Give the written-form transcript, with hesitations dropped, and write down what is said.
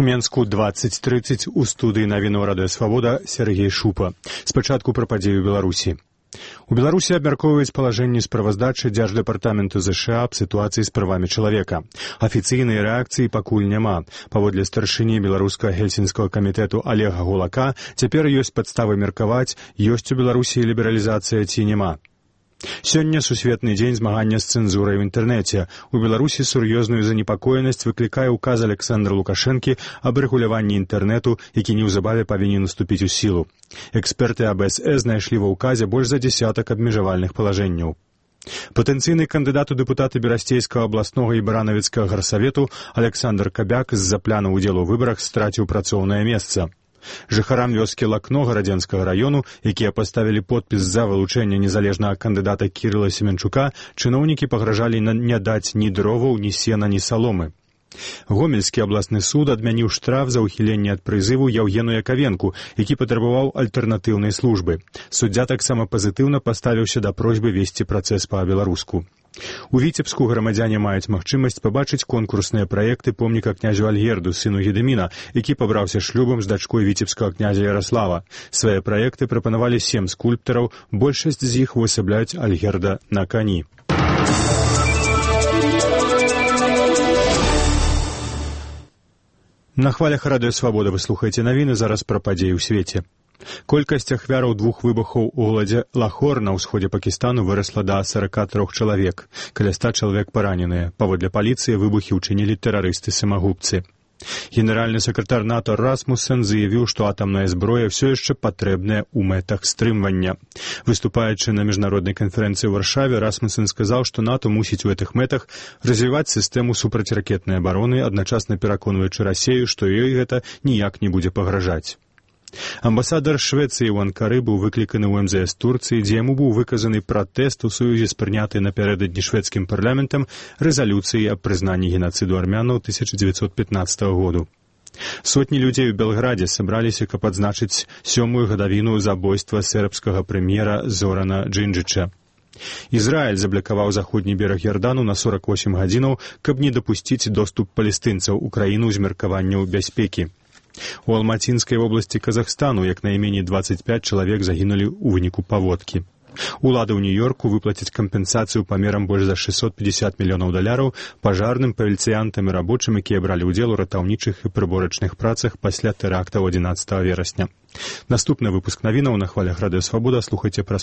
У Менску 20:30 у студыі навінаў Радыё Свабода Сергей Шупа. Спачатку пра падзеі ў Беларусі. У Беларусі абмяркоўваюць палажэнне справаздачы Дзярждэпартаменту ЗША аб сітуацыі з правамі чалавека. Афіцыйнай рэакцыі пакуль няма. Паводле старшыні беларускага гельсінскага камітэту Олега Гулака, цяпер ёсць падставы меркаваць, ёсць у Беларусі лібералізацыя ці няма. Сёння сусветны дзень змагання з цэнзурай у інтэрнэце. У Беларусі сур'ёзную занепакоенасць выклікае ўказ Александра Лукашэнкі аб рэгуляванні інтэрнэту, які неўзабаве павінен уступіць у сілу. Эксперты АБСС знайшлі ва ўказе больш за дзесятак абмежавальных палажэнняў. Патэнцыйны кандыдат у дэпутаты Берасцейскага абласнога і Баранавіцкага гарсавету Александр Кабяк з-за пляну ўдзелу ў выбарах страціў працоўнае месца. Жыхарам вёскі Лакно гарадзенскага раёну, якія паставілі подпіс за вылучэнне незалежнага кандыдата Кірыла Семенчука, чыноўнікі пагражалі не даць ні дроваў, ні сена, ні саломы. Гомельскі абласны суд адмяніў штраф за ўхіленне ад прызыву Яўгену Якавенку, які патрабаваў альтэрнатыўнай службы. Суддзя таксама пазітыўна паставіўся да просьбы весці працэс па-беларуску. У Віцебску грамадзяне маюць магчымасць пабачыць конкурсныя праекты помніка князю Альгерду, сыну Гедыміна, які пабраўся шлюбам з дачкой віцебскага князя Яраслава. Свае праекты прапанавалі 7 скульптараў, большасць з іх увасабляюць Альгерда на кані. На хвалях Радыё Свабода вы слухаеце навіны, зараз пра падзеі ў свеце. Колькасць ахвяраў 2 выбухаў у голадзе Лахор на ўсходзе Пакістану вырасла да 43 чалавек. Каля 100 чалавек параненыя. Паводле паліцыі выбухі ўчынілі тэрарысты-самагубцы. Генеральны сакратар НАТО Расмуссен заявіў, што атамная зброя ўсё яшчэ патрэбная ў мэтах стрымвання. Выступаючы на міжнароднай канферэнцыі ў Варшаве, Расмуссен сказаў, што НАТО мусіць у гэтых мэтах развіваць сістэму супрацьракетнай абароны, адначасна пераконваючы Расею, што ёй гэта ніяк не будзе пагражаць. Амбасадар Швецыі ў Анкары быў выкліканы ў МЗС Турцыі, дзе яму быў выказаны пратэст у сувязі з прынятай напярэдадні шведскім парламентам рэзалюцыі аб прызнанні генацыду армянаў 1915 году. Сотні людзей у Белградзе сабраліся, каб адзначыць 7-ю гадавіну забойства сербскага прэм'ера Зорана Джинджыча. Ізраіль заблакаваў заходні бераг Ярдану на 48 гадзінаў, каб не дапусціць доступ палестынцаў у краіну з меркаванняў бяспекі. У Алматинскай вобласці Казахстану як найменей 25 чалавек загінулі ў выніку паводкі. Улады ў Нью-Йорку выплацяць кампенсацыю памерам больш за $650 мільёнаў пажарным, паліцыянтам і рабочым, якія бралі ўдзел у ратаўнічых і прыборачных працах пасля тэрактаў 11 верасня. Наступны выпуск навінаў на хвалях Радыё Свабода слухайце праз